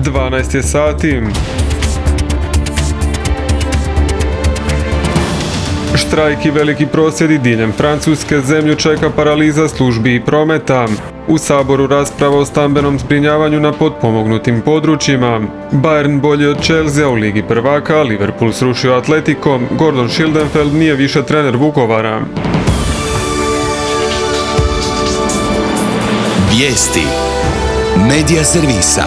12 je sati. Štrajk i veliki prosvjedi diljem Francuske, zemlju čeka paraliza službi i prometa. U Saboru rasprava o stambenom zbrinjavanju na potpomognutim područjima. Bayern bolji od Chelsea u Ligi prvaka, Liverpool srušio Atletico, Gordon Schildenfeld nije više trener Vukovara. Vijesti Medija servisa.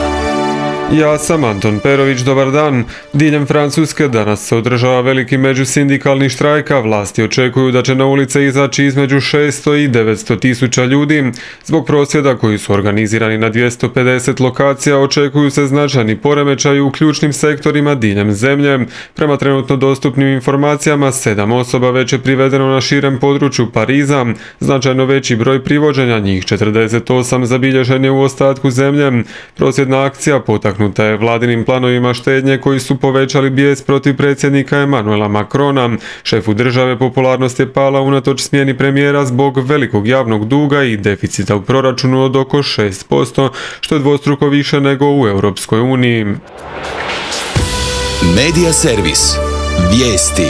Ja sam Anton Perović, dobar dan. Diljem Francuske danas se održava veliki međusindikalni štrajk, a vlasti očekuju da će na ulice izaći između 600 i 900 tisuća ljudi. Zbog prosvjeda koji su organizirani na 250 lokacija očekuju se značajni poremećaji u ključnim sektorima diljem zemlje. Prema trenutno dostupnim informacijama, 7 osoba već je privedeno na širem području Pariza. Značajno veći broj privođenja, njih 48, zabilježen je u ostatku zemlje. Prosvjedna akcija potaknuta je vladinim planovima štednje koji su povećali bijes protiv predsjednika Emmanuela Macrona. Šefu države popularnost je pala unatoč smjeni premijera zbog velikog javnog duga i deficita u proračunu od oko 6%, što je dvostruko više nego u Europskoj uniji. Medija servis. Vijesti.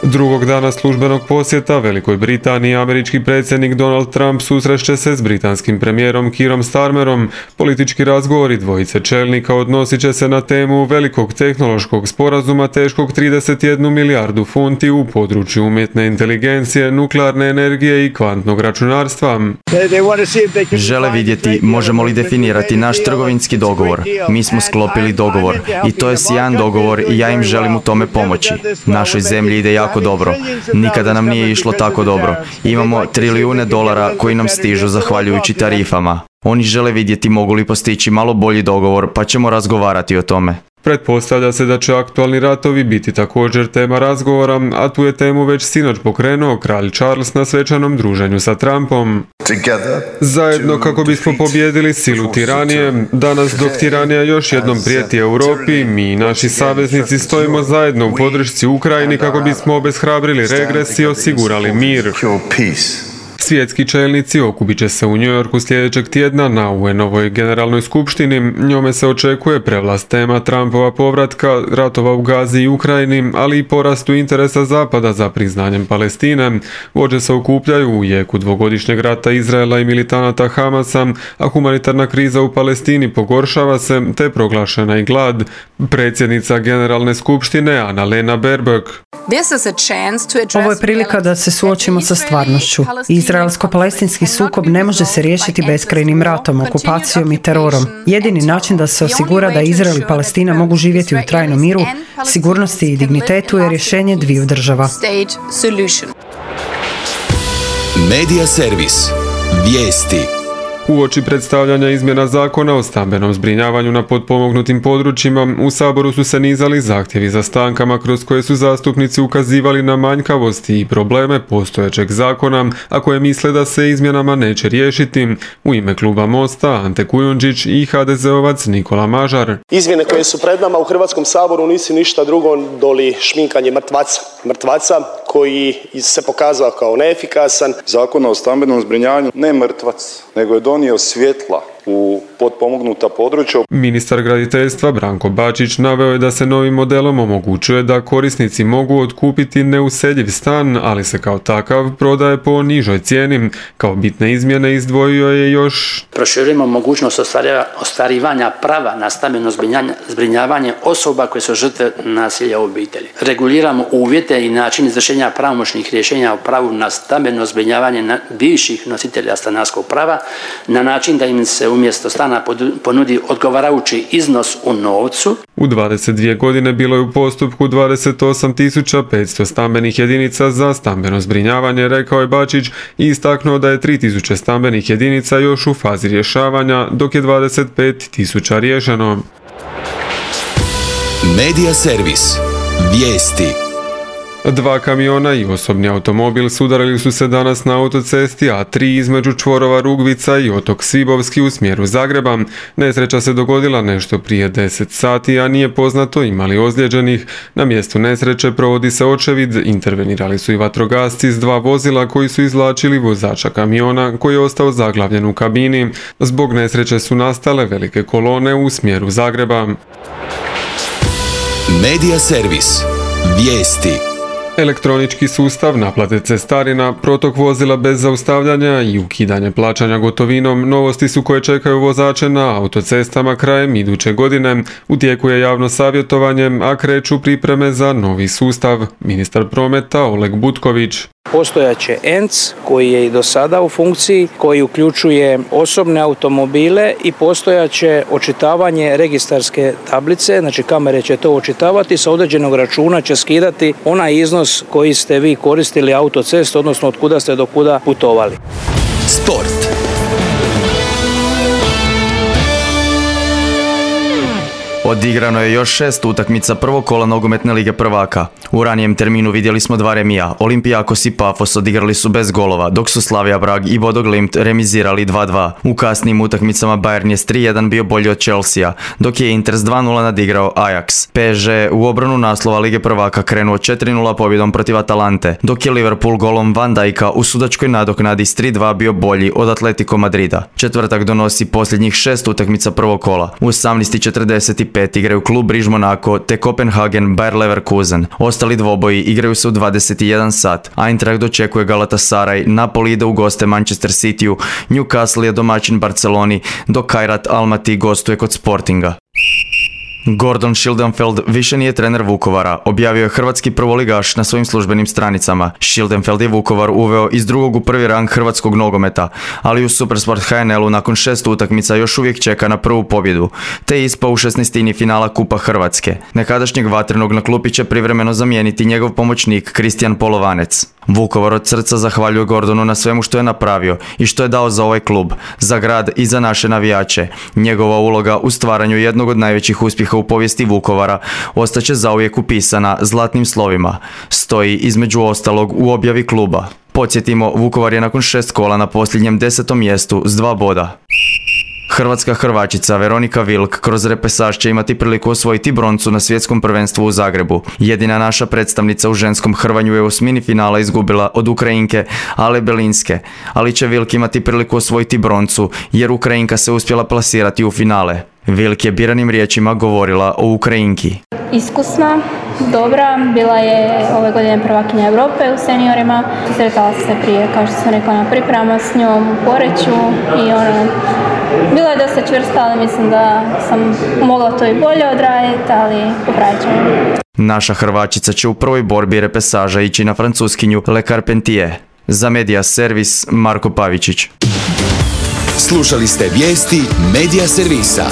Drugog dana službenog posjeta Velikoj Britaniji američki predsjednik Donald Trump susreće se s britanskim premijerom Keerom Starmerom. Politički razgovori dvojice čelnika odnosit će se na temu velikog tehnološkog sporazuma teškog 31 milijardu funti u području umjetne inteligencije, nuklearne energije i kvantnog računarstva. Žele vidjeti možemo li definirati naš trgovinski dogovor. Mi smo sklopili dogovor i to je sjajan dogovor i ja im želim u tome pomoći. Našoj zemlji ide jako dobro. Nikada nam nije išlo tako dobro. Imamo trilijune dolara koji nam stižu zahvaljujući tarifama. Oni žele vidjeti mogu li postići malo bolji dogovor, pa ćemo razgovarati o tome. Pretpostavlja se da će aktualni ratovi biti također tema razgovora, a tu je temu već sinoć pokrenuo kralj Charles na svečanom druženju sa Trumpom. Zajedno kako bismo pobijedili silu tiranije, danas dok tiranija još jednom prijeti Europi, mi i naši saveznici stojimo zajedno u podršci Ukrajini kako bismo obeshrabrili regres i osigurali mir. Svjetski čelnici okupit će se u New Yorku sljedećeg tjedna na UN-ovoj generalnoj skupštini. Njome se očekuje prevlast tema Trumpova povratka, ratova u Gazi i Ukrajini, ali i porastu interesa Zapada za priznanjem Palestine. Vođe se okupljaju u jeku dvogodišnjeg rata Izraela i militanata Hamasa, a humanitarna kriza u Palestini pogoršava se, te proglašena i glad. Predsjednica generalne skupštine Annalena Baerbock. Ovo je prilika da se suočimo sa stvarnošću. Izraelsko-palestinski sukob ne može se riješiti beskrajnim ratom, okupacijom i terorom. Jedini način da se osigura da Izrael i Palestina mogu živjeti u trajnom miru, sigurnosti i dignitetu je rješenje dviju država. Medija servis. Vijesti. Uoči predstavljanja izmjena zakona o stambenom zbrinjavanju na potpomognutim područjima, u Saboru su se nizali zahtjevi za stankama kroz koje su zastupnici ukazivali na manjkavosti i probleme postojećeg zakona, a koje misle da se izmjenama neće riješiti. U ime kluba Mosta Ante Kujundžić i HDZ-ovac Nikola Mažar. Izmjene koje su pred nama u Hrvatskom saboru nisu ništa drugo doli šminkanje mrtvaca koji se pokazao kao neefikasan. Zakon o stambenom zbrinjavanju ne mrtvac, nego je donio svjetla u potpomognuta područja. Ministar graditeljstva Branko Bačić naveo je da se novim modelom omogućuje da korisnici mogu otkupiti neuseljiv stan, ali se kao takav prodaje po nižoj cijeni. Kao bitne izmjene izdvojio je još: proširujemo mogućnost ostvarivanja prava na stambeno zbrinjavanje osoba koje su žrtve nasilja u obitelji. Reguliramo uvjete i način izvršenja pravomoćnih rješenja o pravu na stambeno zbrinjavanje bivših nositelja stanarskog prava na način da im se umjesto stana ponudi odgovarajući iznos u novcu. U 22 godine bilo je u postupku 28.500 stambenih jedinica za stambeno zbrinjavanje, rekao je Bačić i istaknuo da je 3.000 stambenih jedinica još u fazi rješavanja, dok je 25.000 riješeno. Medija servis. Vijesti. 2 kamiona i osobni automobil sudarili su se danas na autocesti A3 između čvorova Rugvica i otok Svibovski u smjeru Zagreba. Nesreća se dogodila nešto prije 10 sati, a nije poznato ima li ozlijeđenih. Na mjestu nesreće provodi se očevid, intervenirali su i vatrogasci s 2 vozila koji su izvlačili vozača kamiona koji je ostao zaglavljen u kabini. Zbog nesreće su nastale velike kolone u smjeru Zagreba. Medija servis. Vijesti. Elektronički sustav naplate cestarina, protok vozila bez zaustavljanja i ukidanje plaćanja gotovinom novosti su koje čekaju vozače na autocestama krajem iduće godine. U tijeku je javno savjetovanje, a kreću pripreme za novi sustav. Ministar prometa Oleg Butković. Postojaće ENC koji je i do sada u funkciji, koji uključuje osobne automobile i postojaće očitavanje registarske tablice, znači kamere će to očitavati, sa određenog računa će skidati onaj iznos koji ste vi koristili autocestu, odnosno od kuda ste do kuda putovali. Sport. Odigrano je još 6 utakmica prvog kola nogometne lige prvaka. U ranijem terminu vidjeli smo 2 remija. Olympiakos i Pafos odigrali su bez golova, dok su Slavia Prag i Bodo Glimt remizirali 2-2. U kasnijim utakmicama Bayern je s 3-1 bio bolji od Chelsea, dok je Inter s 2-0 nadigrao Ajax. PSG u obranu naslova lige prvaka krenuo 4-0 pobjedom protiv Atalante, dok je Liverpool golom Van Dijka u sudačkoj nadoknadi s 3-2 bio bolji od Atletico Madrida. Četvrtak donosi posljednjih 6 utakmica prvog kola. U 18:45 igraju klub Briž Monaco te Kopenhagen Bayer Leverkusen. Ostali dvoboji igraju se u 21 sat. Eintracht dočekuje Galatasaray, Napoli ide u goste Manchester Cityu, Newcastle je domaćin Barceloni, dok Kairat Almaty gostuje kod Sportinga. Gordon Schildenfeld više nije trener Vukovara, objavio je hrvatski prvoligaš na svojim službenim stranicama. Schildenfeld je Vukovar uveo iz drugog u prvi rang hrvatskog nogometa, ali u Supersport HNL-u nakon 6 utakmica još uvijek čeka na prvu pobjedu, te je ispao u 16. finala Kupa Hrvatske. Nekadašnjeg Vatrenog na klupi će privremeno zamijeniti njegov pomoćnik Kristijan Polovanec. Vukovar od srca zahvaljuje Gordonu na svemu što je napravio i što je dao za ovaj klub, za grad i za naše navijače. Njegova uloga u stvaranju jednog od najvećih uspjeha u povijesti Vukovara ostaće zauvijek upisana zlatnim slovima. Stoji između ostalog u objavi kluba. Podsjetimo, Vukovar je nakon 6 kola na posljednjem 10. mjestu s 2 boda. Hrvatska hrvačica Veronika Vilk kroz repesaž će imati priliku osvojiti broncu na svjetskom prvenstvu u Zagrebu. Jedina naša predstavnica u ženskom hrvanju je u osmini finala izgubila od Ukrajinke Ale Belinske, ali će Vilk imati priliku osvojiti broncu jer Ukrajinka se uspjela plasirati u finale. Vilk je biranim riječima govorila o Ukrajinki. Iskusna, dobra, bila je ove godine prvakinja Europe u seniorima. Sretala sam se prije, kao što sam rekla, na pripremama s njom u Poreču i bila je dosta čvrsta, ali mislim da sam mogla to i bolje odraditi, ali popravit ćemo. Naša Hrvačica će u prvoj borbi repesaža ići na francuskinju Le Carpentier. Za Medija servis Marko Pavičić. Slušali ste vijesti Medija servisa.